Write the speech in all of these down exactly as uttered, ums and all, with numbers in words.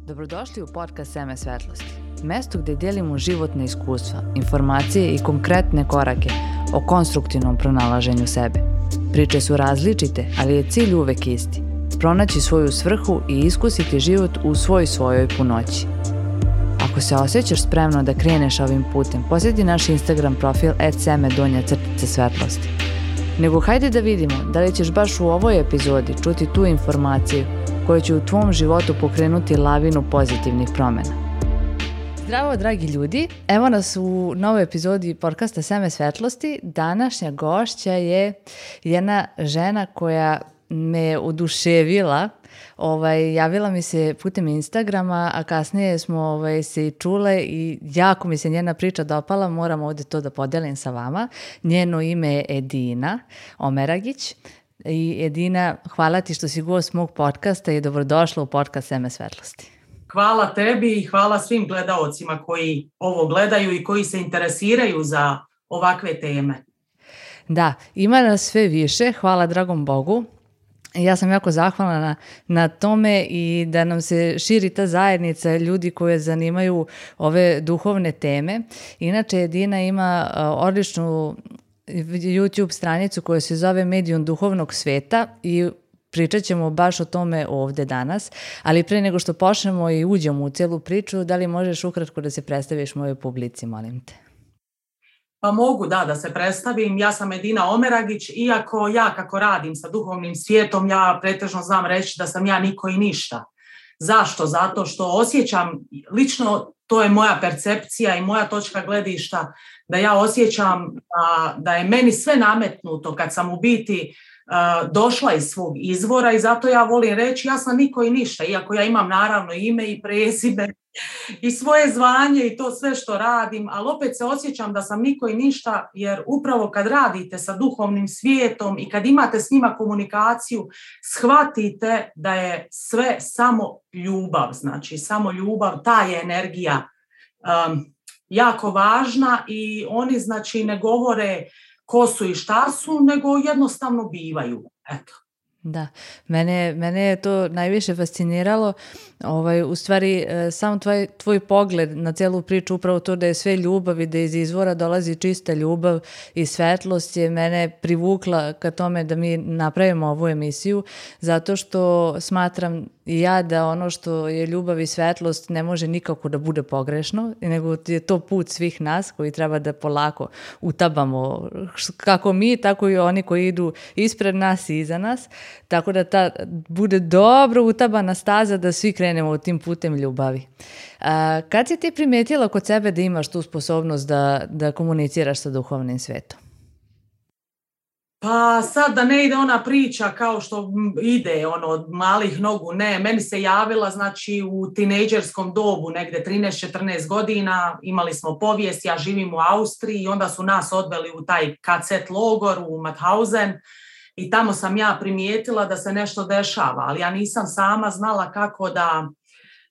Dobrodošli u podcast Seme svetlosti, mesto gdje dijelimo životne iskustva, informacije i konkretne korake o konstruktivnom pronalaženju sebe. Priče su različite, ali je cilj uvek isti. Pronaći svoju svrhu i iskusiti život u svoj svojoj punoći. Ako se osjećaš spremno da kreneš ovim putem, posjeti naš Instagram profil et seme donja crtica svetlosti. Nego hajde da vidimo da li ćeš baš u ovoj epizodi čuti tu informaciju koja će u tvom životu pokrenuti lavinu pozitivnih promjena. Zdravo, dragi ljudi! Evo nas u novoj epizodi podcasta Seme svetlosti. Današnja gošća je jedna žena koja me oduševila. Ovaj, javila mi se putem Instagrama, a kasnije smo ovaj, se i čule i jako mi se njena priča dopala. Moram ovdje to da podelim sa vama. Njeno ime je Edina Omeragić. I Edina, hvala ti što si gost mog podcasta i dobrodošla u podcast Seme svetlosti. Hvala tebi i hvala svim gledaocima koji ovo gledaju i koji se interesiraju za ovakve teme. Da, ima nas sve više, hvala dragom Bogu. Ja sam jako zahvalna na, na tome i da nam se širi ta zajednica ljudi koje zanimaju ove duhovne teme. Inače, Edina ima uh, odličnu YouTube stranicu koja se zove Medijum duhovnog sveta i pričat ćemo baš o tome ovdje danas, ali pre nego što počnemo i uđemo u cijelu priču, da li možeš ukratko da se predstaviš mojoj publici, molim te? Pa mogu, da, da se predstavim. Ja sam Edina Omeragić, iako ja kako radim sa duhovnim svijetom, ja pretežno znam reći da sam ja niko i ništa. Zašto? Zato što osjećam, lično to je moja percepcija i moja točka gledišta, da ja osjećam da, da je meni sve nametnuto kad sam u biti uh, došla iz svog izvora i zato ja volim reći ja sam niko i ništa, iako ja imam naravno ime i prezime i svoje zvanje i to sve što radim, ali opet se osjećam da sam niko i ništa, jer upravo kad radite sa duhovnim svijetom i kad imate s njima komunikaciju, shvatite da je sve samo ljubav, znači samo ljubav, ta je energija um, jako važna i oni znači ne govore ko su i šta su, nego jednostavno bivaju. Eto. Da, mene, mene je to najviše fasciniralo, ovaj, u stvari sam tvoj, tvoj pogled na cijelu priču, upravo to da je sve ljubav i da iz izvora dolazi čista ljubav i svetlost je mene privukla ka tome da mi napravimo ovu emisiju, zato što smatram i ja da ono što je ljubav i svetlost ne može nikako da bude pogrešno, nego je to put svih nas koji treba da polako utabamo, kako mi, tako i oni koji idu ispred nas i iza nas. Tako da ta bude dobro utabana staza da svi krenemo tim putem ljubavi. A, kad si ti primijetila kod sebe da imaš tu sposobnost da, da komuniciraš sa duhovnim svetom? Pa sad da ne ide ona priča kao što ide ono od malih nogu, ne, meni se javila znači u tinejdžerskom dobu, negdje trinaest četrnaest godina, imali smo povijest, ja živim u Austriji i onda su nas odveli u taj ka ce et logor u Mauthausen. I tamo sam ja primijetila da se nešto dešava, ali ja nisam sama znala kako da,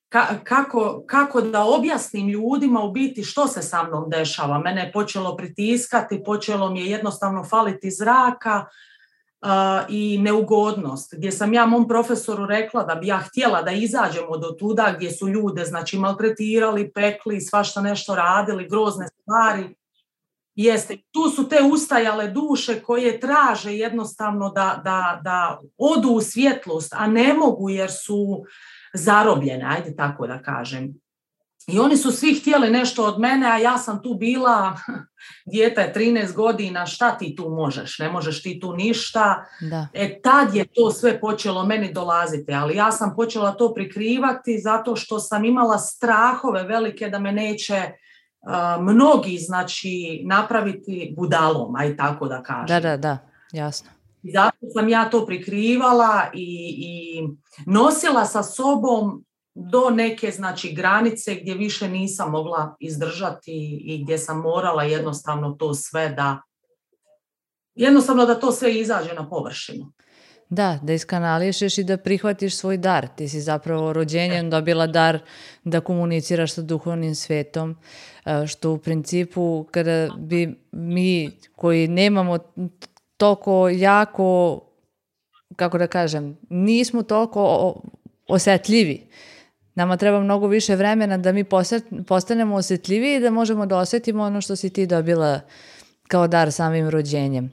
ka, kako, kako da objasnim ljudima u biti što se sa mnom dešava. Mene je počelo pritiskati, počelo mi je jednostavno faliti zraka uh, i neugodnost, gdje sam ja mom profesoru rekla da bi ja htjela da izađemo do tuda gdje su ljude znači maltretirali, pekli, svašta nešto radili, grozne stvari. Jeste, tu su te ustajale duše koje traže jednostavno da, da, da odu u svjetlost, a ne mogu jer su zarobljene, ajde tako da kažem. I oni su svi htjeli nešto od mene, a ja sam tu bila, dijete je trinaest godina, šta ti tu možeš, ne možeš ti tu ništa. Da. E tad je to sve počelo meni dolaziti, ali ja sam počela to prikrivati zato što sam imala strahove velike da me neće Uh, mnogi, znači, napraviti budalom, aj tako da kažem. Da, da, da, jasno. I zato sam ja to prikrivala i, i nosila sa sobom do neke, znači, granice gdje više nisam mogla izdržati i gdje sam morala jednostavno to sve da, jednostavno da to sve izađe na površinu. Da, da iskanališeš i da prihvatiš svoj dar. Ti si zapravo rođenjem dobila dar da komuniciraš sa duhovnim svetom, što u principu kada bi mi koji nemamo toliko jako, kako da kažem, nismo toliko osjetljivi Nama treba mnogo više vremena da mi postanemo osjetljiviji i da možemo da osjetimo ono što si ti dobila kao dar samim rođenjem.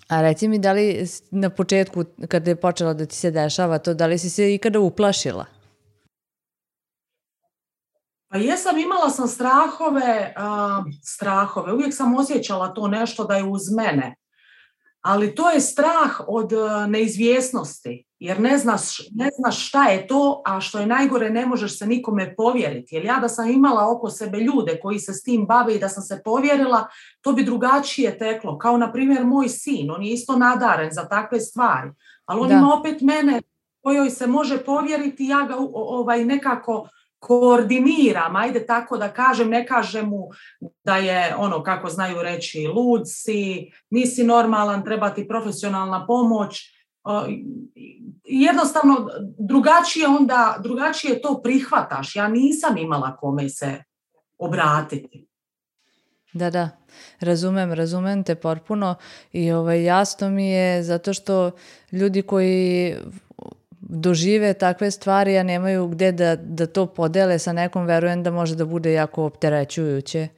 A reci mi, da li na početku, kada je počelo da ti se dešava to, da li si se ikada uplašila? Pa jesam, imala sam strahove, uh, strahove, uvijek sam osjećala to nešto da je uz mene, ali to je strah od uh, neizvjesnosti, jer ne znaš, ne znaš šta je to, a što je najgore, ne možeš se nikome povjeriti, jer ja da sam imala oko sebe ljude koji se s tim bave i da sam se povjerila, to bi drugačije teklo, kao na primjer moj sin, on je isto nadaren za takve stvari, ali on da. Ima opet mene kojoj se može povjeriti, ja ga ovaj, nekako koordiniram, ajde tako da kažem, ne kažem mu da je ono, kako znaju reći, lud si, nisi normalan, treba ti profesionalna pomoć. Jednostavno, drugačije onda, drugačije to prihvataš. Ja nisam imala kome se obratiti. Da, da, razumem, razumem te potpuno i ovaj, jasno mi je zato što ljudi koji dožive takve stvari, a nemaju gde da, da to podele sa nekom, verujem da može da bude jako opterećujuće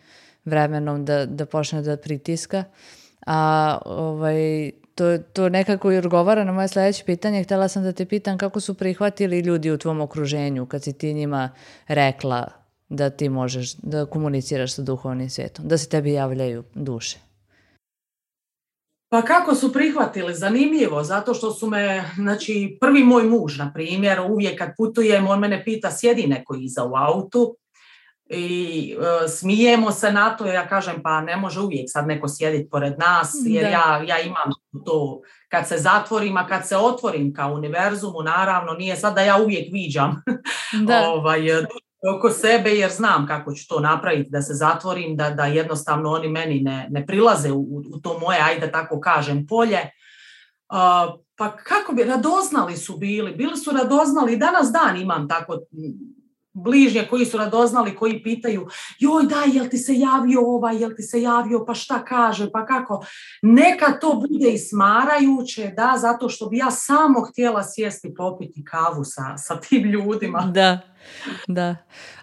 vremenom da, da počne da pritiska. A ovaj, to, to nekako i odgovara na moje sledeće pitanje. Htela sam da te pitam kako su prihvatili ljudi u tvom okruženju kad si ti njima rekla da ti možeš da komuniciraš sa duhovnim svijetom, da se tebi javljaju duše. Pa kako su prihvatili? Zanimljivo, zato što su me, znači prvi moj muž, na primjer, uvijek kad putujem, on mene pita sjedi neko iza u autu i e, smijemo se na to, ja kažem pa ne može uvijek sad neko sjediti pored nas, jer ja, ja imam to kad se zatvorim, a kad se otvorim kao univerzumu, naravno nije sad da ja uvijek viđam ovaj, oko sebe, jer znam kako ću to napraviti, da se zatvorim, da, da jednostavno oni meni ne, ne prilaze u, u to moje, ajde tako kažem, polje. Uh, pa kako bi, radoznali su bili, bili su radoznali, danas dan imam tako bližnje koji su radoznali, koji pitaju, joj daj, jel ti se javio ovaj, jel ti se javio, pa šta kaže, pa kako. Neka to bude i smarajuće, da, zato što bi ja samo htjela sjesti popiti kavu sa, sa tim ljudima. Da, da.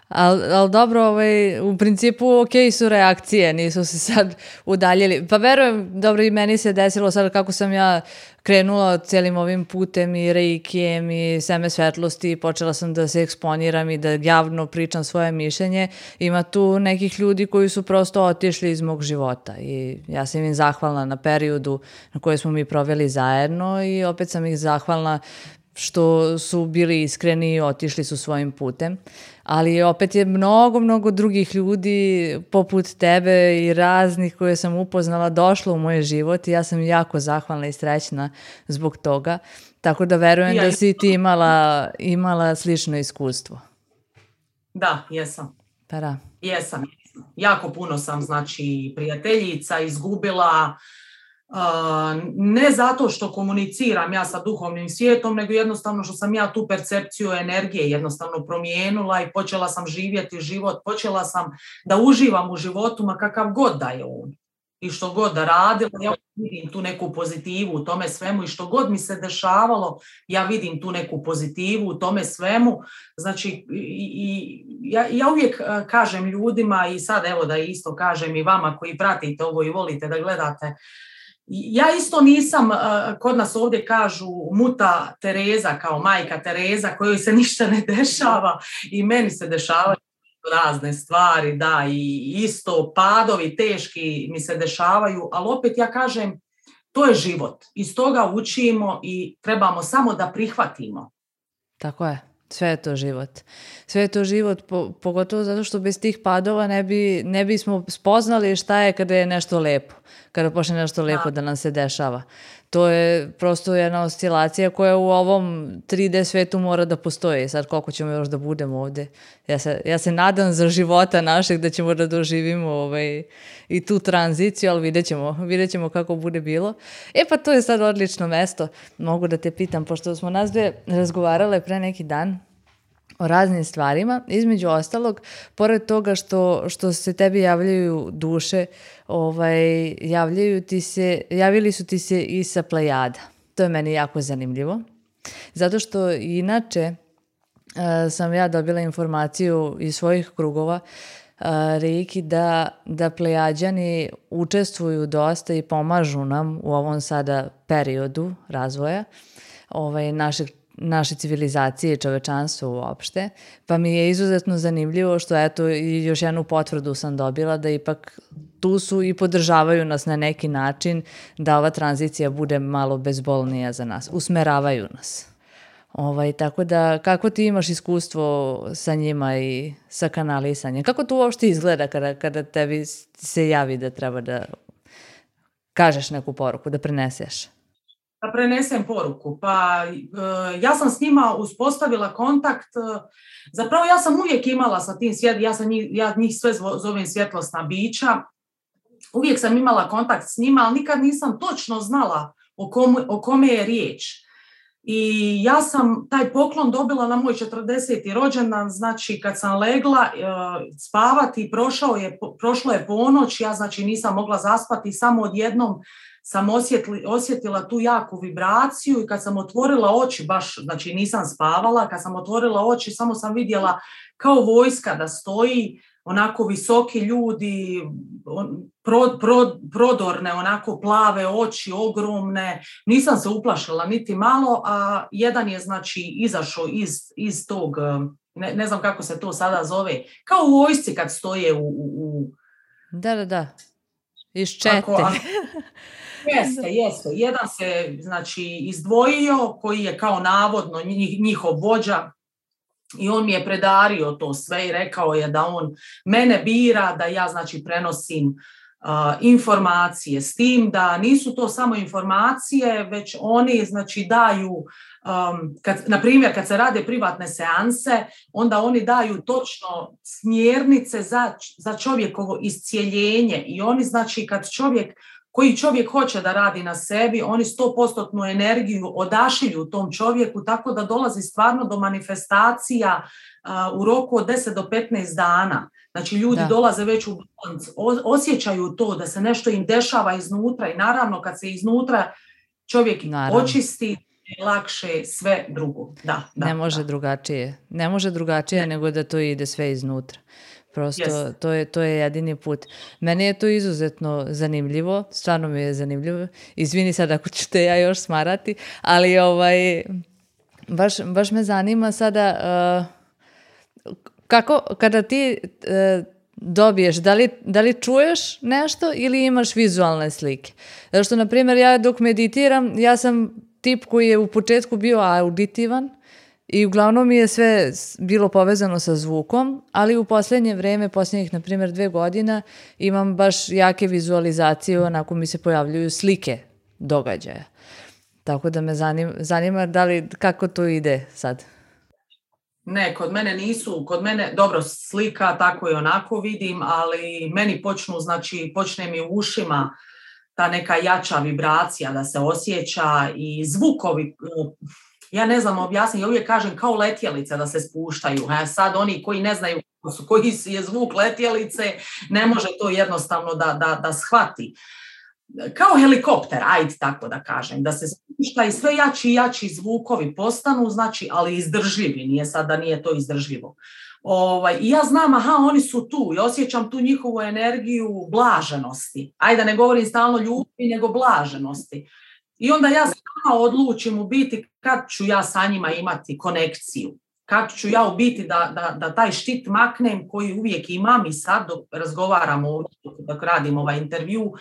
Ali al dobro, ovaj, u principu ok su reakcije, nisu se sad udaljili. Pa verujem, dobro i meni se desilo sad kako sam ja krenula cijelim ovim putem i reikijem i seme svetlosti i počela sam da se eksponiram i da javno pričam svoje mišljenje. Ima tu nekih ljudi koji su prosto otišli iz mog života i ja sam im zahvalna na periodu na koje smo mi proveli zajedno i opet sam ih zahvalna što su bili iskreni i otišli su svojim putem. Ali opet je mnogo, mnogo drugih ljudi poput tebe i raznih koje sam upoznala došlo u moj život i ja sam jako zahvalna i srećna zbog toga. Tako da verujem ja, da si ti imala, imala slično iskustvo. Da, jesam. Pa da. Jesam, jesam. Jako puno sam, znači, prijateljica izgubila. Uh, ne zato što komuniciram ja sa duhovnim svijetom, nego jednostavno što sam ja tu percepciju energije jednostavno promijenila i počela sam živjeti život, počela sam da uživam u životu, ma kakav god da je on. I što god da radila, ja vidim tu neku pozitivu u tome svemu i što god mi se dešavalo, ja vidim tu neku pozitivu u tome svemu. Znači, i, i, ja, ja uvijek kažem ljudima i sad evo da isto kažem i vama koji pratite ovo i volite da gledate, ja isto nisam, kod nas ovdje kažu muta Tereza kao majka Tereza kojoj se ništa ne dešava i meni se dešavaju razne stvari, da, i isto padovi teški mi se dešavaju, ali opet ja kažem to je život, iz toga učimo i trebamo samo da prihvatimo. Tako je. Sve je to život. Sve je to život, po, pogotovo zato što bez tih padova ne, bi, ne bismo spoznali šta je kada je nešto lepo. Kada počne nešto lepo da nam se dešava. To je prosto jedna oscilacija koja u ovom tri D svetu mora da postoji. Sad koliko ćemo još da budemo ovdje. Ja se, ja se nadam za života našeg da ćemo da doživimo ovaj, i tu tranziciju, ali vidjet ćemo, vidjet ćemo kako bude bilo. E pa to je sad odlično mesto. Mogu da te pitam, pošto smo nas dve razgovarale pre neki dan o raznim stvarima, između ostalog, pored toga što, što se tebi javljaju duše, ovaj, javljaju ti se, javili su ti se i sa Plejada. To je meni jako zanimljivo, zato što inače sam ja dobila informaciju iz svojih krugova Reiki da, da Plejađani učestvuju dosta i pomažu nam u ovom sada periodu razvoja ovaj, našeg naše civilizacije i čovečanstva uopšte, pa mi je izuzetno zanimljivo što eto i još jednu potvrdu sam dobila da ipak tu su i podržavaju nas na neki način da ova tranzicija bude malo bezbolnija za nas, usmeravaju nas. Ovaj, tako da, kako ti imaš iskustvo sa njima i sa kanalisanjem? Kako to uopšte izgleda kada, kada tebi se javi da treba da kažeš neku poruku, da preneseš? Da prenesem poruku. Pa ja sam s njima uspostavila kontakt. Zapravo ja sam uvijek imala sa tim svjet, ja, sam njih, ja njih sve zovem svjetlosna bića. Uvijek sam imala kontakt s njima, ali nikad nisam točno znala o, kom, o kome je riječ. I ja sam taj poklon dobila na moj četrdeseti rođendan, znači kad sam legla e, spavati, prošao je, prošlo je ponoć, ja znači nisam mogla zaspati, samo odjednom sam osjetli, osjetila tu jaku vibraciju i kad sam otvorila oči, baš, znači nisam spavala, kad sam otvorila oči samo sam vidjela kao vojska da stoji, onako visoki ljudi, pro, pro, prodorne, onako plave oči, ogromne, nisam se uplašila niti malo, a jedan je znači izašao iz, iz tog, ne, ne znam kako se to sada zove, kao u vojsci kad stoje u... u da, da, da, iz čete. Ako, ako, Jeste, jeste. Jedan se znači izdvojio koji je kao navodno njihov vođa i on mi je predario to sve i rekao je da on mene bira, da ja znači prenosim uh, informacije s tim, da nisu to samo informacije, već oni znači daju, um, kad, na primjer kad se rade privatne seanse, onda oni daju točno smjernice za, za čovjekovo iscijeljenje i oni znači kad čovjek koji čovjek hoće da radi na sebi, oni sto posto energiju odašilju tom čovjeku, tako da dolazi stvarno do manifestacija uh, u roku od deset do petnaest dana. Znači ljudi da. dolaze već u balans, osjećaju to da se nešto im dešava iznutra i naravno kad se iznutra čovjek naravno. očisti, lakše sve drugo. Da, da, ne može da. drugačije. Ne može drugačije ne. nego da to ide sve iznutra. Prosto yes. to, je, to je jedini put. Meni je to izuzetno zanimljivo, stvarno mi je zanimljivo. Izvini sad ako ću te ja još smarati, ali ovaj, baš, baš me zanima sada uh, kako, kada ti uh, dobiješ, da li, da li čuješ nešto ili imaš vizualne slike? Zato što, na primjer, ja dok meditiram, ja sam tip koji je u početku bio auditivan, i uglavnom mi je sve bilo povezano sa zvukom, ali u posljednje vrijeme, posljednjih, na primjer, dve godina, imam baš jake vizualizacije, onako mi se pojavljuju slike događaja. Tako da me zanima, zanima da li, kako to ide sad? Ne, kod mene nisu, kod mene, dobro, slika tako i onako vidim, ali meni počnu, znači, počne mi u ušima ta neka jača vibracija da se osjeća i zvukovi. Ja ne znam objasniti, ja uvijek kažem kao letjelice da se spuštaju. A sad oni koji ne znaju koji je zvuk letjelice, ne može to jednostavno da, da, da shvati. Kao helikopter, ajde tako da kažem, da se spušta i sve jači i jači zvukovi postanu, znači, ali izdržljivi, nije sad da nije to izdržljivo. Ovaj, I ja znam, aha, oni su tu i osjećam tu njihovu energiju blaženosti. Ajde, ne govorim stalno ljubavi, nego blaženosti. I onda ja sama odlučim u biti kad ću ja sa njima imati konekciju. Kad ću ja u biti da, da, da taj štit maknem koji uvijek imam i sad dok razgovaramo ovdje, dok radim ovaj intervju,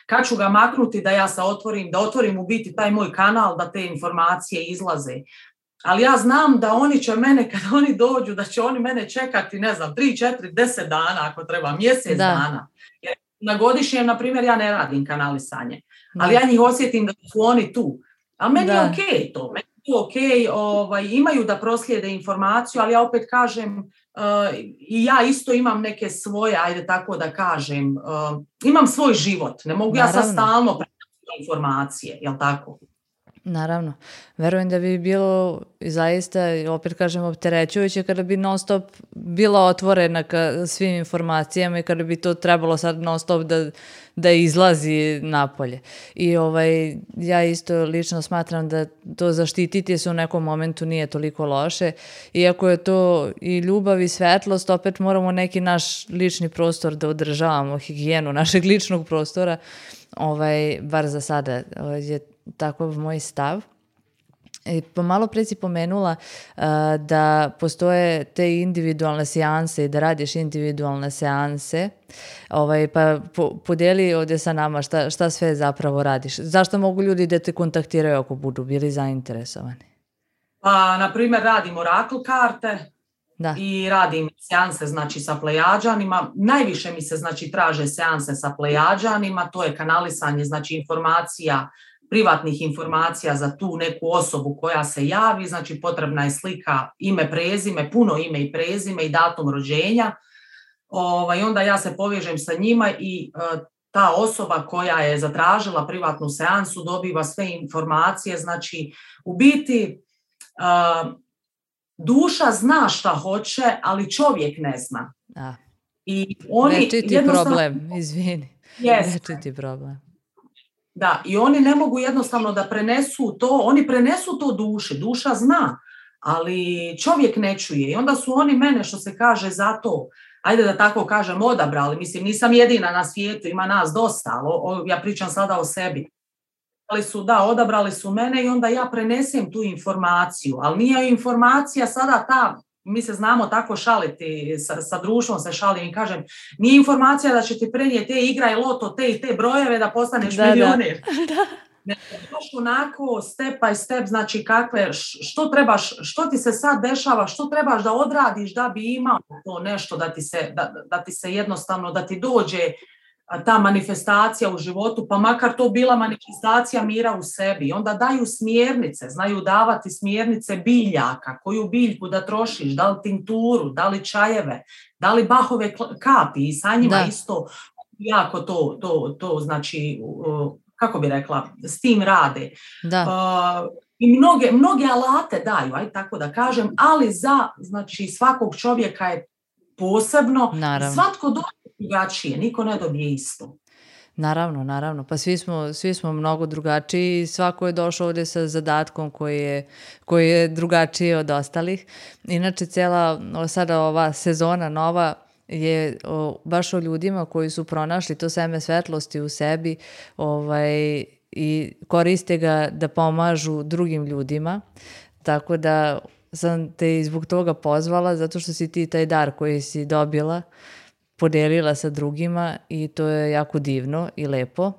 kad ću ga maknuti da ja se otvorim, da otvorim u biti taj moj kanal, da te informacije izlaze. Ali ja znam da oni će mene, kad oni dođu, da će oni mene čekati, ne znam, tri, četiri, deset dana ako treba, mjesec da. dana. Jer na godišnjem, na primjer, ja ne radim kanalisanje. Ali ja njih osjetim da su oni tu. A meni da. je okej okay to. Meni je okej, okay, ovaj, imaju da proslijede informaciju, ali ja opet kažem, uh, i ja isto imam neke svoje, ajde tako da kažem, uh, imam svoj život. Ne mogu Naravno. ja sad stalno prenositi informacije, jel tako? Naravno. Verujem da bi bilo zaista, opet kažem, opterećujuće kada bi non stop bila otvorena ka svim informacijama i kada bi to trebalo sad non stop da da izlazi napolje. I ovaj, ja isto lično smatram da to zaštititi se u nekom momentu nije toliko loše. Iako je to i ljubav i svetlost, opet moramo neki naš lični prostor da održavamo, higijenu našeg ličnog prostora, ovaj, bar za sada je takav moj stav. I pomalo pre si pomenula uh, da postoje te individualne seanse i da radiš individualne seanse, ovaj, pa po, podijeli ovdje sa nama šta, šta sve zapravo radiš. Zašto mogu ljudi da te kontaktiraju ako budu bili zainteresovani? Pa, na primjer, radim orakl karte da. I radim seanse, znači, sa plejađanima. Najviše mi se, znači, traže seanse sa plejađanima, to je kanalisanje, znači, informacija, privatnih informacija za tu neku osobu koja se javi, znači potrebna je slika, ime, prezime, puno ime i prezime i datum rođenja. Ovaj, onda ja se povežem sa njima i e, ta osoba koja je zatražila privatnu seansu dobiva sve informacije, znači u biti e, duša zna šta hoće, ali čovjek ne zna. Da. I oni Večiti jednostavno... problem, izvini. Yes. Večiti problem. Da, i oni ne mogu jednostavno da prenesu to, oni prenesu to duši, duša zna, ali čovjek ne čuje. I onda su oni mene, što se kaže, za to, ajde da tako kažem, odabrali. Mislim, nisam jedina na svijetu, ima nas dosta, ali o, ja pričam sada o sebi. Ali su, da, odabrali su mene i onda ja prenesem tu informaciju, ali nije informacija sada ta, mi se znamo tako šaliti, sa, sa društvom se šalim i kažem, nije informacija da će ti prenijeti te igraj loto, te i te brojeve da postaneš da, milioner. Da. Ne, baš onako step by step, znači kakve, što trebaš, što ti se sad dešava, što trebaš da odradiš da bi imao to nešto, da ti se, da, da ti se jednostavno, da ti dođe ta manifestacija u životu, pa makar to bila manifestacija mira u sebi. Onda daju smjernice, znaju davati smjernice biljaka, koju biljku da trošiš, da li tinturu, da li čajeve, da li bahove kapi i sa njima da. Isto jako to, to, to znači, kako bi rekla, s tim rade. Da. Uh, I mnoge, mnoge alate daju, aj tako da kažem, ali za, znači, svakog čovjeka je posebno. Naravno. Svatko dođe drugačije, niko ne dobije isto. Naravno, naravno. Pa svi smo, svi smo mnogo drugačiji i svako je došao ovdje sa zadatkom koji je, koji je drugačiji od ostalih. Inače, cijela sada ova sezona nova je o, baš o ljudima koji su pronašli to seme svetlosti u sebi, ovaj, i koriste ga da pomažu drugim ljudima. Tako da sam te i zbog toga pozvala, zato što si ti taj dar koji si dobila podijelila sa drugima i to je jako divno i lepo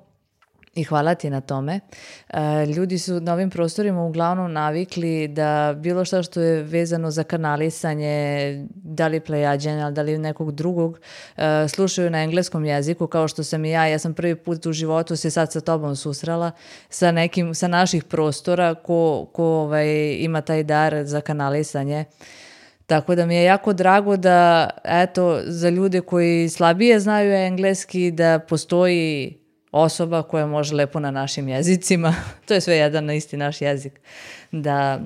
i hvala ti na tome. E, ljudi su na ovim prostorima uglavnom navikli da bilo šta što je vezano za kanalisanje, da li plejađenja, da li nekog drugog, e, slušaju na engleskom jeziku, kao što sam i ja. Ja sam prvi put u životu se sad sa tobom susrela sa nekim, sa naših prostora ko, ko ovaj, ima taj dar za kanalisanje. Tako da mi je jako drago da, eto, za ljude koji slabije znaju engleski, da postoji osoba koja može lepo na našim jezicima, to je sve jedan na isti naš jezik, da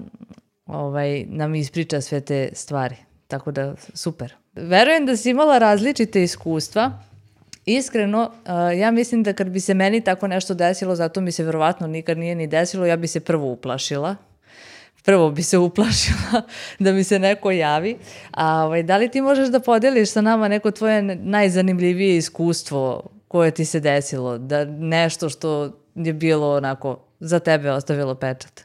ovaj, nam ispriča sve te stvari. Tako da, super. Verujem da si imala različite iskustva. Iskreno, ja mislim da kad bi se meni tako nešto desilo, zato mi se verovatno nikad nije ni desilo, ja bi se prvo uplašila. Prvo bi se uplašila da mi se neko javi. A ovaj, da li ti možeš da podeliš sa nama neko tvoje najzanimljivije iskustvo koje ti se desilo? Da nešto što je bilo onako za tebe ostavilo pečat?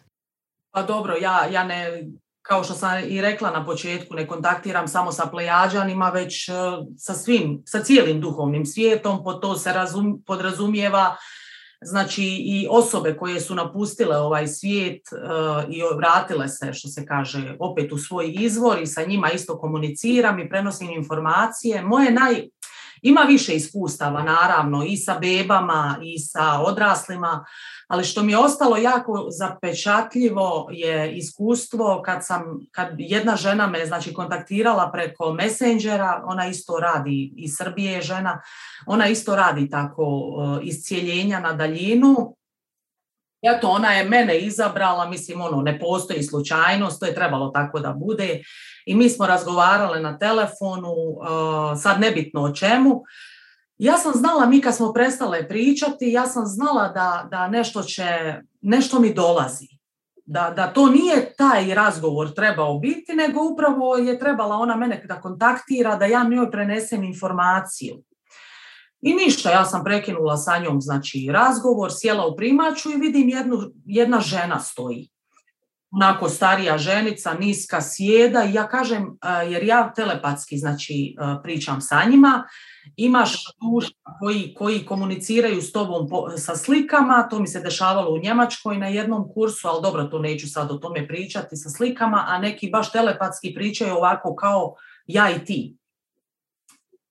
Pa dobro, ja, ja ne, kao što sam i rekla na početku, ne kontaktiram samo sa plejađanima, već sa svim, sa cijelim duhovnim svijetom. Pod to se razum, podrazumijeva znači i osobe koje su napustile ovaj svijet uh, i vratile se, što se kaže, opet u svoj izvor i sa njima isto komuniciram i prenosim informacije. Moje naj... Ima više iskustava, naravno, i sa bebama i sa odraslima, ali što mi je ostalo jako zapečatljivo je iskustvo kad sam, kad jedna žena me, znači, kontaktirala preko Messengera, ona isto radi, iz Srbije je žena, ona isto radi tako uh, iscijeljenja na daljinu. Eto, ona je mene izabrala, mislim, ono, ne postoji slučajnost, to je trebalo tako da bude. I mi smo razgovarale na telefonu, uh, sad nebitno o čemu. Ja sam znala, mi kad smo prestale pričati, ja sam znala da, da nešto će, nešto mi dolazi. Da, da to nije taj razgovor trebao biti, nego upravo je trebala ona mene da kontaktira, da ja njoj prenesem informaciju. I ništa, ja sam prekinula sa njom, znači, razgovor, sjela u primaču i vidim jednu, jedna žena stoji. Onako starija ženica, niska, sjeda i ja kažem, jer ja telepatski, znači, pričam sa njima, imaš duša koji, koji komuniciraju s tobom po, sa slikama, to mi se dešavalo u Njemačkoj na jednom kursu, ali dobro, to neću sad o tome pričati sa slikama, a neki baš telepatski pričaju ovako kao ja i ti.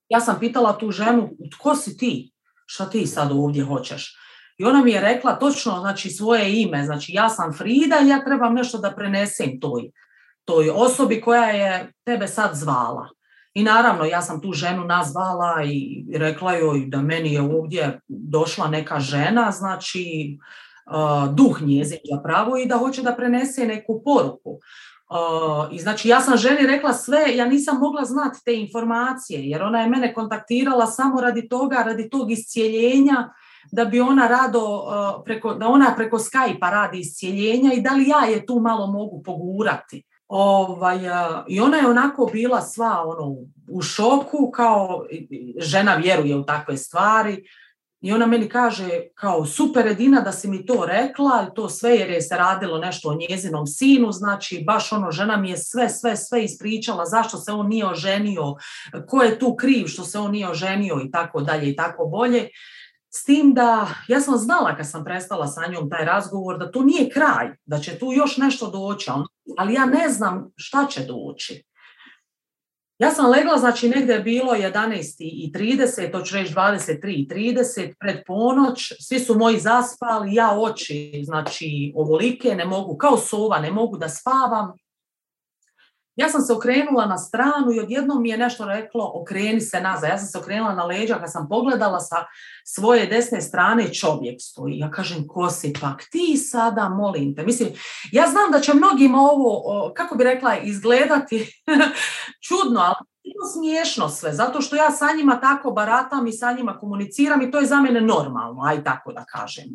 Ja sam pitala tu ženu, tko si ti? Šta ti sad ovdje hoćeš? I ona mi je rekla točno, znači, svoje ime, znači ja sam Frida i ja trebam nešto da prenesem toj, toj osobi koja je tebe sad zvala. I naravno, ja sam tu ženu nazvala i rekla joj da meni je ovdje došla neka žena, znači uh, duh njezin zapravo i da hoće da prenese neku poruku. Uh, I znači ja sam ženi rekla sve, ja nisam mogla znati te informacije jer ona je mene kontaktirala samo radi toga, radi tog iscijeljenja, da bi ona rado, uh, preko, da ona preko Skype-a radi iscijeljenja i da li ja je tu malo mogu pogurati. Ovaj, uh, I ona je onako bila sva ono, u šoku, kao žena vjeruje u takve stvari. I ona meni kaže kao super Edina da si mi to rekla, to sve jer je se radilo nešto o njezinom sinu, znači baš ono žena mi je sve, sve, sve ispričala zašto se on nije oženio, ko je tu kriv što se on nije oženio i tako dalje i tako bolje. S tim da ja sam znala kad sam prestala sa njom taj razgovor da to nije kraj, da će tu još nešto doći, ali ja ne znam šta će doći. Ja sam legla, znači negdje je bilo jedanaest i trideset, to ću reći dvadeset tri i trideset, pred ponoć, svi su moji zaspali, ja oči, znači ovolike, ne mogu, kao sova, ne mogu da spavam. Ja sam se okrenula na stranu i odjednom mi je nešto reklo, okreni se nazad. Ja sam se okrenula na leđa, kad sam pogledala sa svoje desne strane čovjek stoji. Ja kažem, ko si pak ti sada, molim te. Mislim, ja znam da će mnogima ovo, kako bi rekla, izgledati čudno, ali je to smiješno sve, zato što ja sa njima tako baratam i sa njima komuniciram i to je za mene normalno, aj tako da kažem.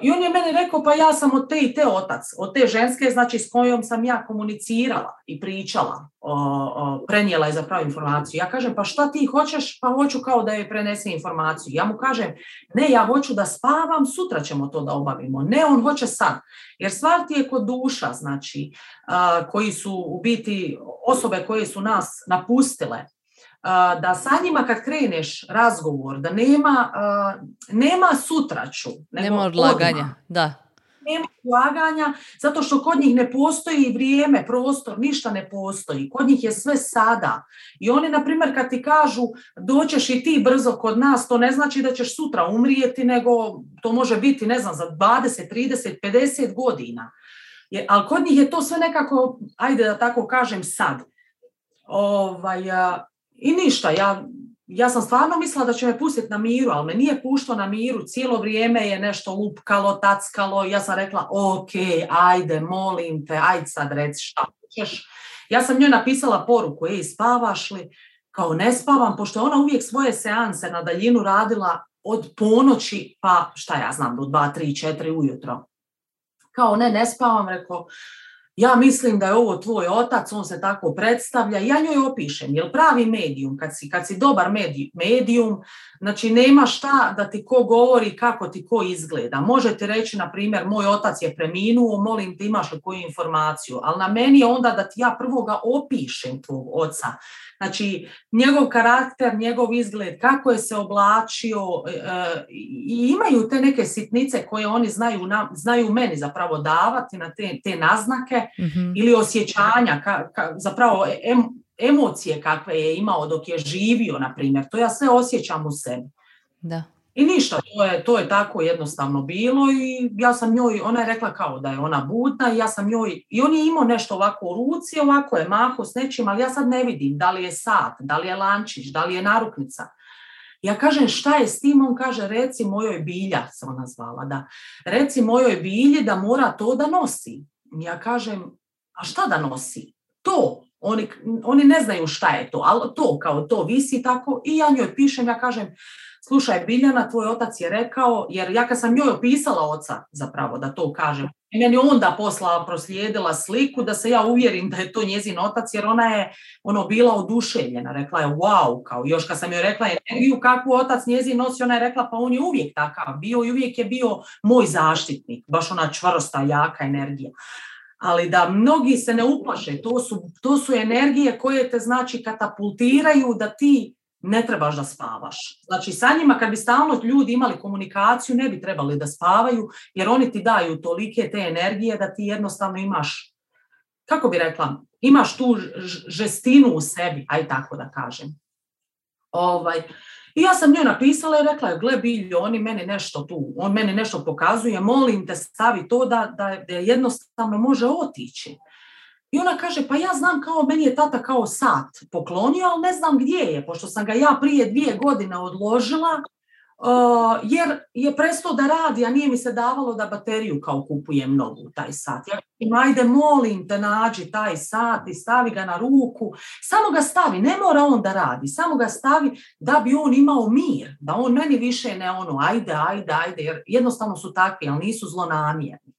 I on je meni rekao, pa ja sam od te i te otac, od te ženske, znači s kojom sam ja komunicirala i pričala, o, o, prenijela je zapravo informaciju. Ja kažem, pa šta ti hoćeš? Pa hoću kao da je prenese informaciju. Ja mu kažem, ne, ja hoću da spavam, sutra ćemo to da obavimo. Ne, on hoće sad. Jer stvar ti je kod duša, znači, a, koji su u biti osobe koje su nas napustile, da sa njima kad kreneš razgovor, da nema, uh, nema sutraću. Nema odlaganja, odmah. Da. Nema odlaganja, zato što kod njih ne postoji vrijeme, prostor, ništa ne postoji. Kod njih je sve sada. I oni, na primjer, kad ti kažu doćeš i ti brzo kod nas, to ne znači da ćeš sutra umrijeti, nego to može biti, ne znam, za dvadeset, trideset, pedeset godina. Je, ali kod njih je to sve nekako, ajde da tako kažem, sad. Ovaj... Uh, I ništa, ja, ja sam stvarno mislila da će me pustiti na miru, ali me nije puštao na miru, cijelo vrijeme je nešto lupkalo, tackalo, ja sam rekla, ok, ajde, molim te, ajde sad reci šta hoćeš. Ja sam njoj napisala poruku, ej, spavaš li? Kao ne spavam, pošto ona uvijek svoje seanse na daljinu radila od ponoći, pa šta ja znam, do dva, tri, četiri ujutro. Kao ne, ne spavam, rekao, ja mislim da je ovo tvoj otac, on se tako predstavlja, ja njoj opišem, jel pravi medijum, kad si, kad si dobar medijum, znači nema šta da ti ko govori kako ti ko izgleda. Možete reći, na primjer, moj otac je preminuo, molim te imaš li koju informaciju, ali na meni je onda da ti ja prvo ga opišem tvog oca. Znači, njegov karakter, njegov izgled, kako je se oblačio e, i imaju te neke sitnice koje oni znaju, na, znaju meni zapravo davati na te, te naznake mm-hmm. ili osjećanja, ka, ka, zapravo em, emocije kakve je imao dok je živio, na primjer. To ja sve osjećam u sebi. Da. I ništa, to je, to je tako jednostavno bilo i ja sam njoj, ona je rekla kao da je ona budna i ja sam njoj, i on je imao nešto ovako u ruci, ovako je maho s nečim, ali ja sad ne vidim da li je sat, da li je lančić, da li je narukvica. Ja kažem šta je s tim, on kaže reci mojoj Bilja, se ona zvala, da, reci mojoj Bilji da mora to da nosi. Ja kažem, a šta da nosi? To, Oni, oni ne znaju šta je to, ali to kao to visi tako i ja njoj pišem, ja kažem, slušaj Biljana, tvoj otac je rekao, jer ja kad sam njoj opisala oca zapravo da to kažem, meni onda posla proslijedila sliku da se ja uvjerim da je to njezin otac, jer ona je ono bila oduševljena, rekla je wow, kao još kad sam joj rekla energiju kakvu otac njezin nosi, ona je rekla pa on je uvijek takav bio i uvijek je bio moj zaštitnik, baš ona čvrsta, jaka energija. Ali da mnogi se ne uplaše, to su, to su energije koje te znači katapultiraju da ti ne trebaš da spavaš. Znači sa njima kad bi stalno ljudi imali komunikaciju ne bi trebali da spavaju jer oni ti daju tolike te energije da ti jednostavno imaš, kako bi rekla, imaš tu žestinu u sebi, aj tako da kažem. Ovaj, i ja sam njoj napisala i rekla je, gle Biljo, oni meni nešto tu, on meni nešto pokazuje, molim te stavi to da, da, da jednostavno može otići. I ona kaže, pa ja znam kao, meni je tata kao sat poklonio, ali ne znam gdje je, pošto sam ga ja prije dvije godine odložila, uh, jer je prestao da radi, a nije mi se davalo da bateriju kao kupujem novu taj sat. Ja kažem, ajde, molim te, nađi taj sat i stavi ga na ruku, samo ga stavi, ne mora on da radi, samo ga stavi da bi on imao mir, da on meni više ne ono, ajde, ajde, ajde, jer jednostavno su takvi, ali nisu zlonamjerni.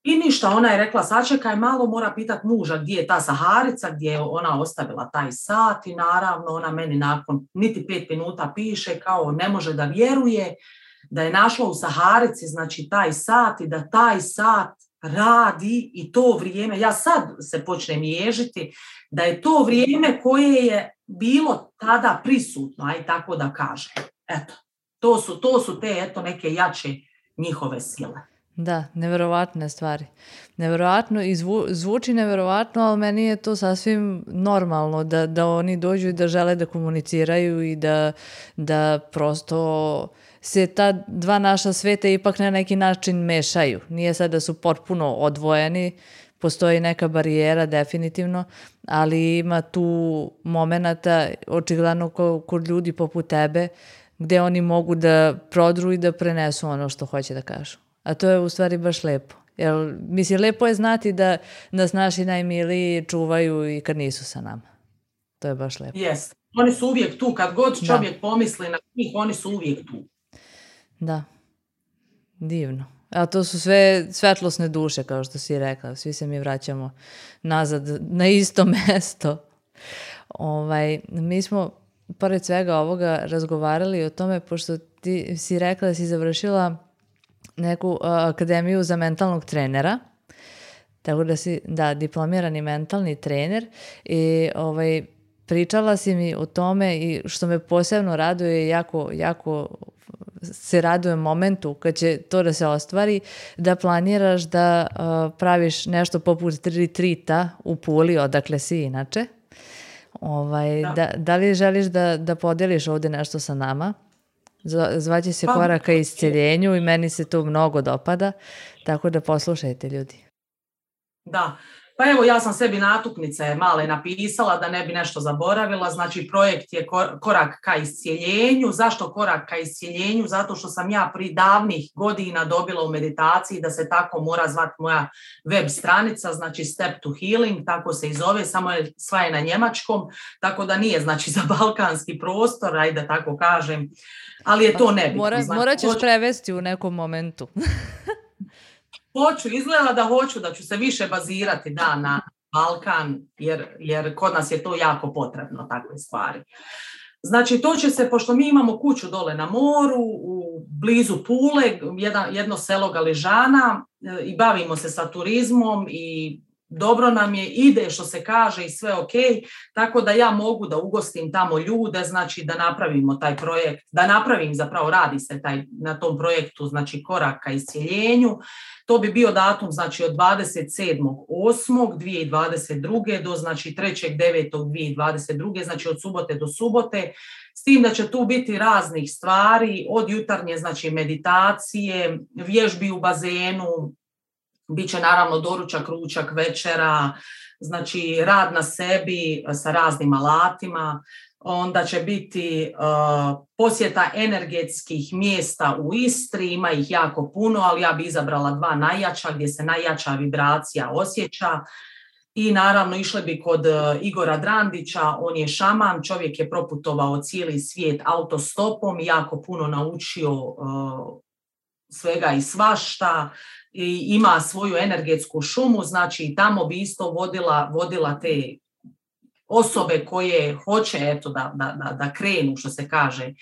I ništa, ona je rekla, sačekaj malo, mora pitat muža gdje je ta Saharica, gdje je ona ostavila taj sat i naravno ona meni nakon niti pet minuta piše kao ne može da vjeruje da je našla u Saharici, znači taj sat i da taj sat radi i to vrijeme, ja sad se počnem ježiti, da je to vrijeme koje je bilo tada prisutno, aj tako da kažem. Eto, to su, to su te eto neke jače njihove sile. Da, neverovatne stvari. Neverovatno i zvu, zvuči neverovatno, ali meni je to sasvim normalno da, da oni dođu i da žele da komuniciraju i da, da prosto se ta dva naša sveta ipak na neki način mešaju. Nije sad da su potpuno odvojeni, postoji neka barijera definitivno, ali ima tu momenata očigledno kod ljudi poput tebe gdje oni mogu da prodru i da prenesu ono što hoće da kažu. A to je u stvari baš lepo. Jer, mislim, lepo je znati da nas naši najmiliji čuvaju i kad nisu sa nama. To je baš lepo. Yes. Oni su uvijek tu. Kad god čovjek da. pomisli na njih, oni su uvijek tu. Da. Divno. A to su sve svetlosne duše, kao što si rekla. Svi se mi vraćamo nazad na isto mesto. Ovaj, mi smo, pored svega ovoga, razgovarali o tome, pošto ti si rekla da si završila neku uh, akademiju za mentalnog trenera, tako da si, da, diplomirani mentalni trener i ovaj, pričala si mi o tome i što me posebno raduje, jako, jako se radujem momentu kad će to da se ostvari, da planiraš da uh, praviš nešto poput retrita u Puli, odakle si inače. Ovaj, da. Da, da li želiš da, da podeliš ovdje nešto sa nama? Zvaće se Korak ka isceljenju i meni se to mnogo dopada, tako da poslušajte ljudi. Da, pa evo ja sam sebi natuknice male napisala da ne bi nešto zaboravila, znači projekt je Korak ka isceljenju. Zašto Korak ka isceljenju? Zato što sam ja pri davnih godina dobila u meditaciji da se tako mora zvati moja web stranica, znači Step to Healing, tako se i zove, samo je sva je na njemačkom, tako da nije znači za balkanski prostor, ajde da tako kažem. Ali je to nebitno. Mora, znači, morat ćeš hoću, prevesti u nekom momentu. hoću, izgleda da hoću, da ću se više bazirati da, na Balkan, jer, jer kod nas je to jako potrebno, takve stvari. Znači, to će se, pošto mi imamo kuću dole na moru, u blizu Pule, jedan, jedno selo Galižana, i bavimo se sa turizmom i dobro nam je, ide što se kaže i sve ok, tako da ja mogu da ugostim tamo ljude, znači da napravimo taj projekt, da napravim zapravo, radi se taj, na tom projektu, znači Korak ka isceljenju. To bi bio datum znači od dvadeset sedmog osmog dvije tisuće dvadeset druge do znači trećeg devetog dvije tisuće dvadeset druge, znači od subote do subote, s tim da će tu biti raznih stvari, od jutarnje znači meditacije, vježbi u bazenu, biće naravno doručak, ručak, večera, znači rad na sebi sa raznim alatima. Onda će biti uh, posjeta energetskih mjesta u Istri, ima ih jako puno, ali ja bi izabrala dva najjača gdje se najjača vibracija osjeća. I naravno išli bi kod Igora Drandića, on je šaman, čovjek je proputovao cijeli svijet autostopom, jako puno naučio uh, svega i svašta, i ima svoju energetsku šumu, znači tamo bi isto vodila, vodila te osobe koje hoće eto, da, da, da krenu, što se kaže,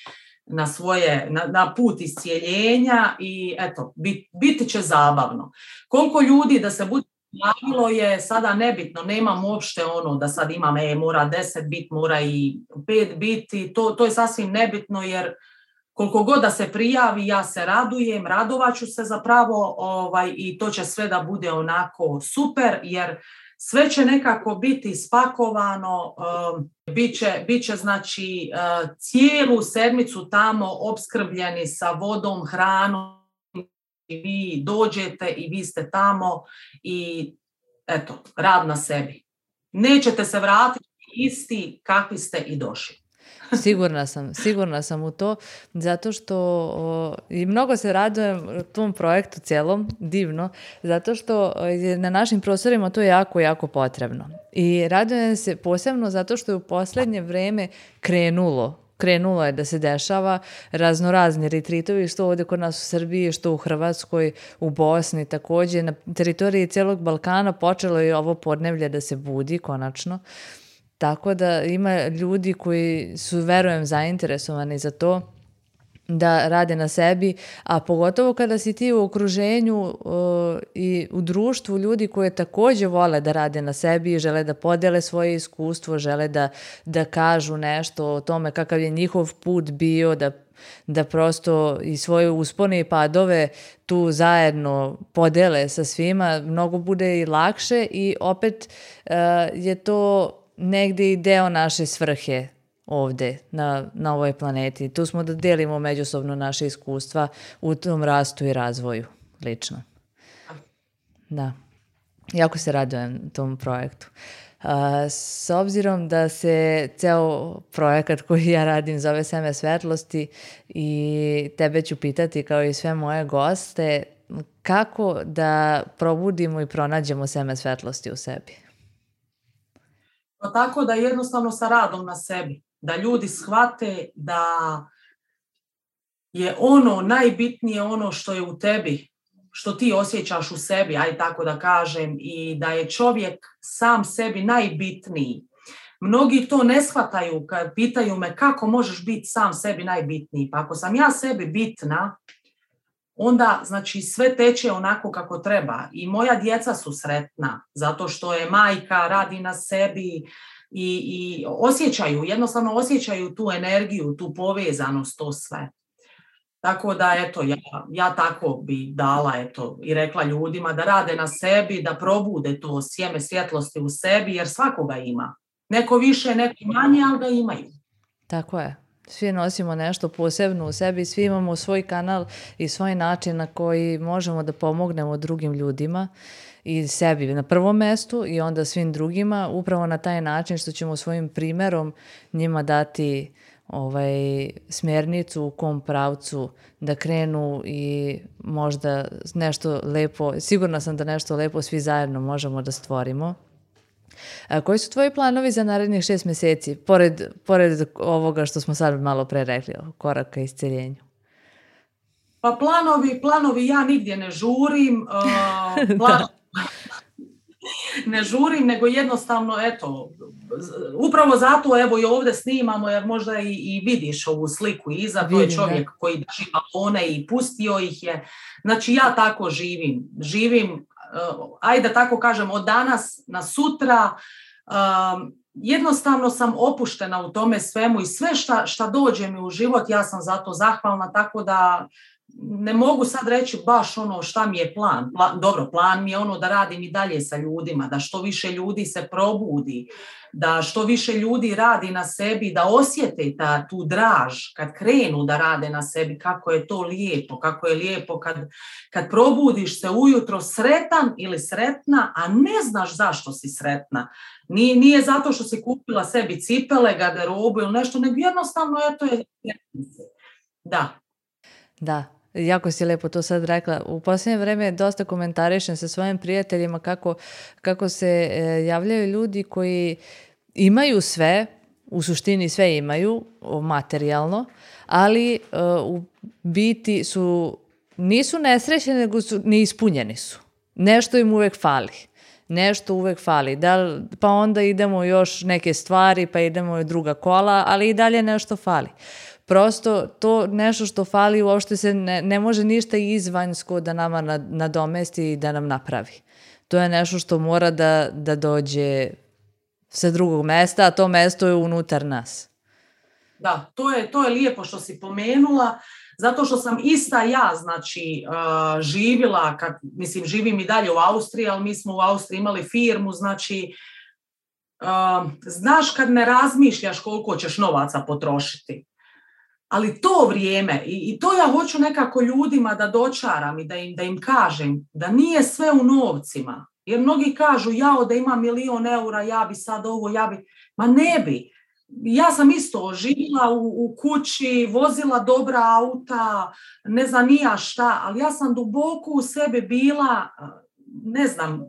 na, svoje, na, na put iscijeljenja i eto, bit, biti će zabavno. Koliko ljudi da se bude javilo je sada nebitno, nemam uopšte ono da sad imam, e, mora deset bit, mora i pet biti, to, to je sasvim nebitno jer koliko god da se prijavi, ja se radujem, radovaću se zapravo ovaj, i to će sve da bude onako super jer sve će nekako biti spakovano, um, bit će, bit će znači uh, cijelu sedmicu tamo opskrbljeni sa vodom, hranom, i vi dođete i vi ste tamo i eto, rad na sebi. Nećete se vratiti isti kakvi ste i došli. Sigurna sam, sigurna sam u to, zato što o, i mnogo se radujem tom projektu cijelom, divno, zato što je na našim prostorima to jako, jako potrebno. I radujem se posebno zato što je u posljednje vrijeme krenulo, krenulo je da se dešava raznorazni retritovi, što ovdje kod nas u Srbiji, što u Hrvatskoj, u Bosni također, na teritoriji cijelog Balkana počelo je ovo podneblje da se budi konačno. Tako da ima ljudi koji su, verujem, zainteresovani za to da rade na sebi, a pogotovo kada si ti u okruženju uh, i u društvu ljudi koji također vole da rade na sebi, žele da podele svoje iskustvo, žele da, da kažu nešto o tome kakav je njihov put bio, da, da prosto i svoje uspone i padove tu zajedno podele sa svima, mnogo bude i lakše i opet uh, je to negdje i deo naše svrhe ovdje na, na ovoj planeti. Tu smo da delimo međusobno naše iskustva u tom rastu i razvoju lično. Da. Jako se radujem tom projektu. Uh, s obzirom da se ceo projekat koji ja radim zove Seme svetlosti i tebe ću pitati kao i sve moje goste kako da probudimo i pronađemo seme svetlosti u sebi. Pa tako da jednostavno sa radom na sebi, da ljudi shvate da je ono najbitnije ono što je u tebi, što ti osjećaš u sebi, aj tako da kažem, i da je čovjek sam sebi najbitniji. Mnogi to ne shvataju kad pitaju me kako možeš biti sam sebi najbitniji. Pa ako sam ja sebi bitna, onda znači sve teče onako kako treba i moja djeca su sretna zato što je majka, radi na sebi i, i osjećaju, jednostavno osjećaju tu energiju, tu povezanost, to sve. Tako da eto, ja, ja tako bi dala eto, i rekla ljudima da rade na sebi, da probude to sjeme svjetlosti u sebi jer svakoga ima. Neko više, neko manje, ali ga imaju. Tako je. Svi nosimo nešto posebno u sebi, svi imamo svoj kanal i svoj način na koji možemo da pomognemo drugim ljudima i sebi na prvom mjestu i onda svim drugima, upravo na taj način što ćemo svojim primjerom njima dati ovaj, smjernicu u kom pravcu da krenu i možda nešto lepo, sigurna sam da nešto lepo svi zajedno možemo da stvorimo. A koji su tvoji planovi za narednih šest mjeseci, pored, pored ovoga što smo sad malo pre rekli, koraka isceljenju? Pa planovi, planovi ja nigdje ne žurim, uh, plan... ne žurim, nego jednostavno, eto, upravo zato evo i ovdje snimamo, jer možda i, i vidiš ovu sliku iza, to je čovjek koji drži balone i pustio ih je. Znači ja tako živim, živim Uh, ajde da tako kažem, od danas na sutra, uh, jednostavno sam opuštena u tome svemu i sve šta, šta dođe mi u život, ja sam zato zahvalna, tako da ne mogu sad reći baš ono šta mi je plan. plan. Dobro, plan mi je ono da radim i dalje sa ljudima, da što više ljudi se probudi, da što više ljudi radi na sebi, da osjete ta, tu draž kad krenu da rade na sebi, kako je to lijepo, kako je lijepo kad, kad probudiš se ujutro sretan ili sretna, a ne znaš zašto si sretna. Nije, nije zato što si kupila sebi cipele, garderobu ili nešto, nego jednostavno eto je. Da. Da. jako si lepo to sad rekla. U posljednje vreme dosta komentarišem sa svojim prijateljima kako, kako se e, javljaju ljudi koji imaju sve, u suštini sve imaju, materijalno, ali e, u biti su, nisu nesrećni, nego su neispunjeni su. Nešto im uvek fali. Nešto uvek fali. Da, pa onda idemo još neke stvari, pa idemo i druga kola, ali i dalje nešto fali. Prosto to nešto što fali uopšte se ne, ne može ništa izvanjsko da nama nadomesti i da nam napravi. To je nešto što mora da, da dođe sa drugog mesta, a to mesto je unutar nas. Da, to je, to je lijepo što si pomenula, zato što sam ista ja, znači, uh, živjela, kad, mislim, živim i dalje u Austriji, ali mi smo u Austriji imali firmu, znači, uh, znaš kad ne razmišljaš koliko ćeš novaca potrošiti. Ali to vrijeme, i, i to ja hoću nekako ljudima da dočaram i da im, da im kažem, da nije sve u novcima. Jer mnogi kažu, jao da ima milion eura, ja bi sad ovo, ja bi... Ma ne bi. Ja sam isto živjela u, u kući, vozila dobra auta, ne znam ni ja šta, ali ja sam duboko u sebi bila, ne znam,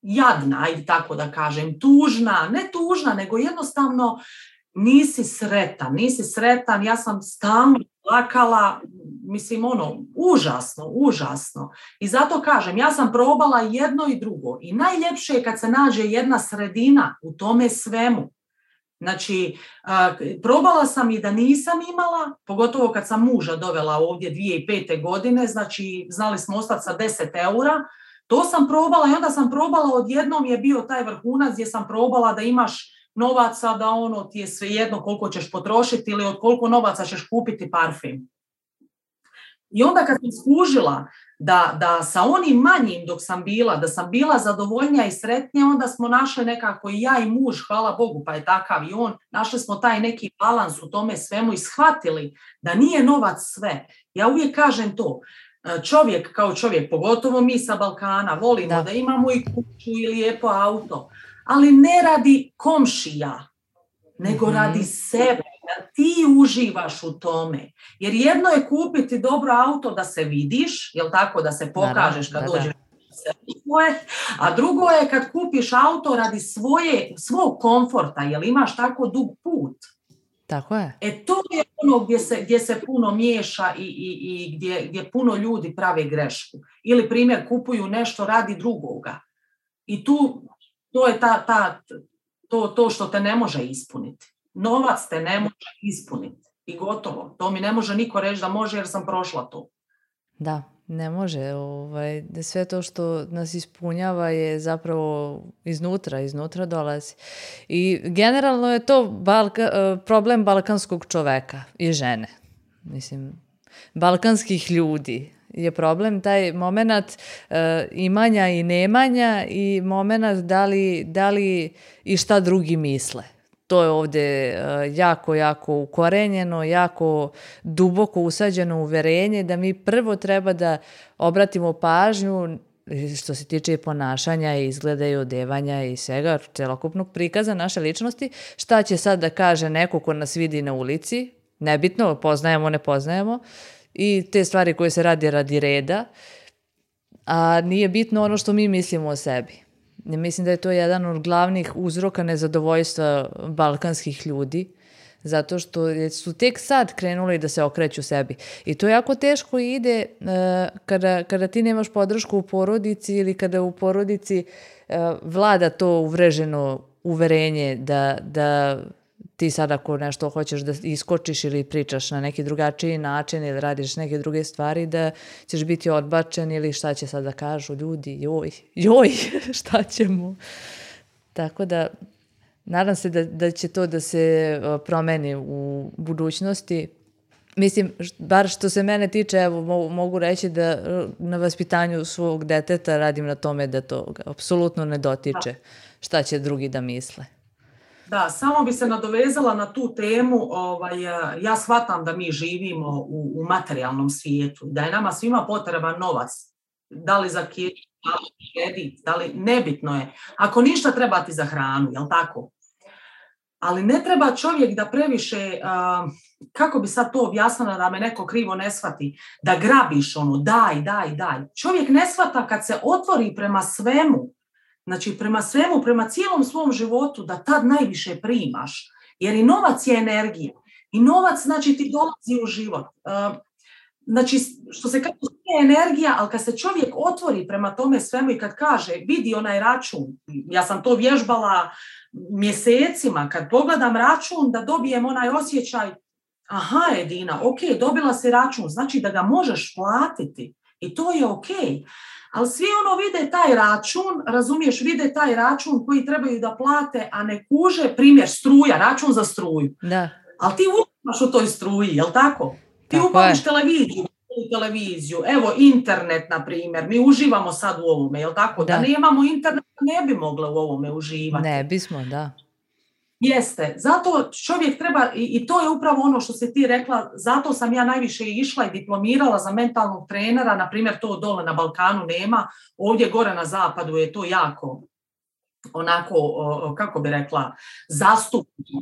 jadna, ajde tako da kažem, tužna, ne tužna, nego jednostavno nisi sretan, nisi sretan, ja sam stalno plakala, mislim ono, užasno, užasno. I zato kažem, ja sam probala jedno i drugo i najljepše je kad se nađe jedna sredina u tome svemu. Znači, probala sam i da nisam imala, pogotovo kad sam muža dovela ovdje dvije tisuće pete. godine, znači znali smo ostati sa deset eura, to sam probala i onda sam probala, odjednom je bio taj vrhunac gdje sam probala da imaš novaca, da ono ti je svejedno koliko ćeš potrošiti ili od koliko novaca ćeš kupiti parfem. I onda kad sam skužila da, da sa onim manjim dok sam bila, da sam bila zadovoljnija i sretnija, onda smo našli nekako i ja i muž, hvala Bogu, pa je takav i on, našli smo taj neki balans u tome svemu i shvatili da nije novac sve. Ja uvijek kažem to, čovjek kao čovjek, pogotovo mi sa Balkana, volimo da, da imamo i kuću i lijepo auto, ali ne radi komšija, nego mm-hmm. radi sebe. Da ti uživaš u tome. Jer jedno je kupiti dobro auto da se vidiš, jel tako, da se pokažeš kad da, dođeš svoje, a drugo je kad kupiš auto radi svoje, svog komforta, jel imaš tako dug put. Tako je. E to je ono gdje se, gdje se puno miješa i, i, i gdje, gdje puno ljudi prave grešku. Ili primjer, kupuju nešto radi drugoga. I tu to je ta, ta, to, to što te ne može ispuniti. Novac te ne može ispuniti i gotovo. To mi ne može niko reći da može jer sam prošla to. Da, ne može. Ovaj, sve to što nas ispunjava je zapravo iznutra, iznutra dolazi. I generalno je to balka, problem balkanskog čoveka i žene. Mislim, balkanskih ljudi je problem taj moment uh, imanja i nemanja i moment da li, da li i šta drugi misle. To je ovdje uh, jako, jako ukorenjeno, jako duboko usađeno uverenje da mi prvo treba da obratimo pažnju što se tiče ponašanja i izgleda i odevanja i svega, celokupnog prikaza naše ličnosti, šta će sad da kaže neko ko nas vidi na ulici, nebitno, poznajemo, ne poznajemo, i te stvari koje se radi radi reda, a nije bitno ono što mi mislimo o sebi. Ne mislim da je to jedan od glavnih uzroka nezadovoljstva balkanskih ljudi, zato što su tek sad krenuli da se okreću sebi. I to jako teško ide uh, kada, kada ti nemaš podršku u porodici ili kada u porodici uh, vlada to uvreženo uverenje da, da ti sad ako nešto hoćeš da iskočiš ili pričaš na neki drugačiji način ili radiš neke druge stvari, da ćeš biti odbačen ili šta će sad da kažu ljudi, joj, joj, šta ćemo. Tako da, nadam se da, da će to da se promeni u budućnosti. Mislim, bar što se mene tiče, evo, mogu reći da na vaspitanju svog deteta radim na tome da to apsolutno ne dotiče šta će drugi da misle. Da, samo bi se nadovezala na tu temu, ovaj, ja shvatam da mi živimo u, u materijalnom svijetu, da je nama svima potreban novac, da li za kredit, da li, nebitno je, ako ništa treba ti za hranu, jel tako? Ali ne treba čovjek da previše uh, kako bi sad to objasnila da me neko krivo ne shvati, da grabiš ono, daj, daj, daj. Čovjek ne shvata kad se otvori prema svemu, znači prema svemu, prema cijelom svom životu, da tad najviše primaš. Jer i novac je energija. I novac, znači, ti dolazi u život. Znači, što se kaže, je energija, ali kad se čovjek otvori prema tome svemu i kad kaže, vidi onaj račun, ja sam to vježbala mjesecima, kad pogledam račun, da dobijem onaj osjećaj, aha, Edina, ok, dobila si račun, znači da ga možeš platiti i to je ok. Ali svi ono vide taj račun, razumiješ, vide taj račun koji trebaju da plate, a ne kuže, primjer, struja, račun za struju. Da. Ali ti upaš u toj struji, jel tako? Ti tako upaš televiziju, televiziju, evo internet, na primjer, mi uživamo sad u ovome, jel tako? Da, da nemamo internet, ne bi mogle u ovome uživati. Ne bismo, da. Jeste, zato čovjek treba, i, i to je upravo ono što si ti rekla, zato sam ja najviše išla i diplomirala za mentalnog trenera, na primjer to dole na Balkanu nema, ovdje gore na zapadu je to jako, onako, kako bi rekla, zastupno.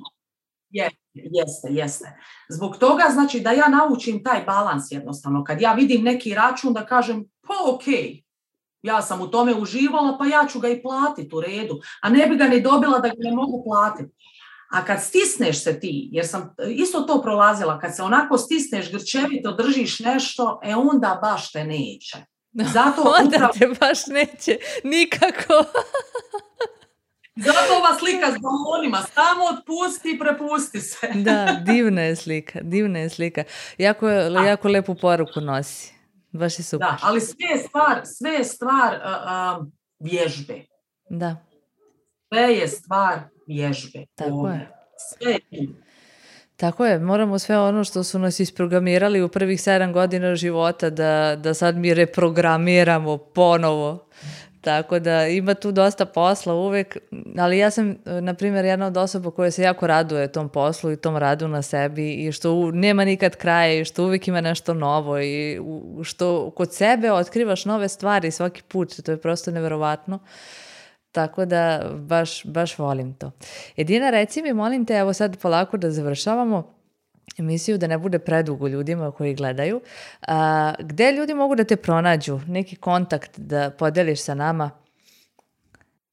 Je, jeste, jeste. Zbog toga, znači, da ja naučim taj balans jednostavno, kad ja vidim neki račun da kažem, pa ok, ja sam u tome uživala, pa ja ću ga i platiti u redu, a ne bi ga ni dobila da ga ne mogu platiti. A kad stisneš se ti, jer sam isto to prolazila, kad se onako stisneš, grčevito držiš nešto, e onda baš te neće. Zato onda upravo... te baš neće, nikako. Zato ova slika s balonima, samo otpusti i prepusti se. Da, divna je slika, divna je slika. Jako, jako lepu poruku nosi. Baš je super. Da, ali sve je stvar, sve je stvar uh, uh, vježbe. Da. Sve je stvar vježbe. Tako ovdje. je. Sve je. Tako je, moramo sve ono što su nas isprogramirali u prvih sedam godina života da, da sad mi reprogramiramo ponovo. Tako da ima tu dosta posla uvek, ali ja sam, na primjer, jedna od osoba koja se jako raduje tom poslu i tom radu na sebi i što u, nema nikad kraja i što uvijek ima nešto novo i u, što kod sebe otkrivaš nove stvari svaki put, to je prosto neverovatno. Tako da baš, baš volim to. Edina, reci mi, molim te, evo sad polako da završavamo emisiju, da ne bude predugo ljudima koji gledaju. A, gde ljudi mogu da te pronađu? Neki kontakt da podeliš sa nama?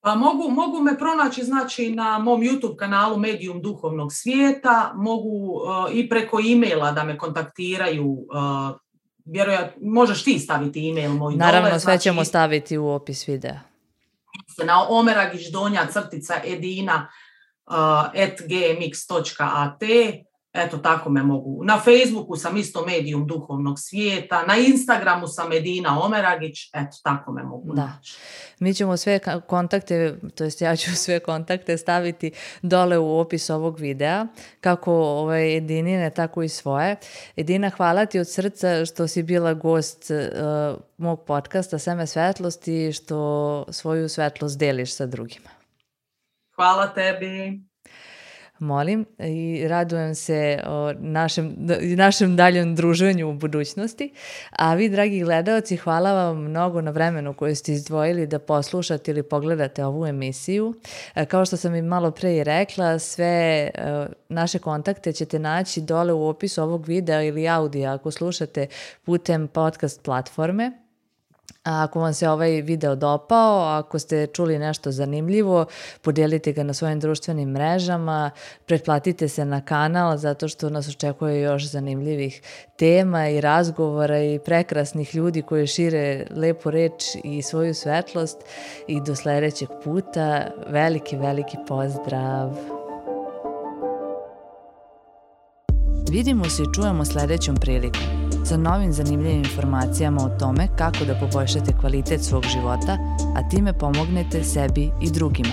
Pa mogu, mogu me pronaći, znači, na mom YouTube kanalu Medium duhovnog svijeta, mogu uh, i preko e-maila da me kontaktiraju. Uh, vjerojatno, možeš ti staviti e-mail moj. Naravno, dole, sve znači, ćemo staviti u opis videa. Na omeragić donja crtica edina uh, at gmx točka at. Eto, tako me mogu. Na Facebooku sam isto Medium duhovnog svijeta, na Instagramu sam Edina Omeragić, eto, tako me mogu naći. Mi ćemo sve kontakte, to jest ja ću sve kontakte staviti dole u opis ovog videa, kako ovaj Edinine, tako i svoje. Edina, hvala ti od srca što si bila gost uh, mog podcasta Seme svetlosti i što svoju svetlost deliš sa drugima. Hvala tebi. Molim i radujem se o našem, našem daljem druženju u budućnosti. A vi, dragi gledaoci, hvala vam mnogo na vremenu koje ste izdvojili da poslušate ili pogledate ovu emisiju. Kao što sam i malo pre i rekla, sve naše kontakte ćete naći dole u opisu ovog videa ili audija ako slušate putem podcast platforme. A ako vam se ovaj video dopao, ako ste čuli nešto zanimljivo, podijelite ga na svojim društvenim mrežama, pretplatite se na kanal zato što nas očekuje još zanimljivih tema i razgovora i prekrasnih ljudi koji šire lepu reč i svoju svetlost. I do sljedećeg puta, veliki, veliki pozdrav! Vidimo se i čujemo sljedećom prilikom sa novim zanimljivim informacijama o tome kako da poboljšate kvalitet svog života, a time pomognete sebi i drugima.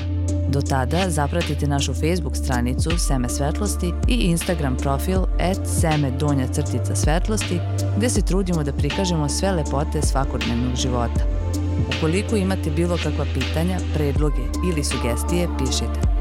Do tada zapratite našu Facebook stranicu Seme svetlosti i Instagram profil at seme donja crtica svetlosti, gdje se trudimo da prikažemo sve lepote svakodnevnog života. Ukoliko imate bilo kakva pitanja, predloge ili sugestije, pišite.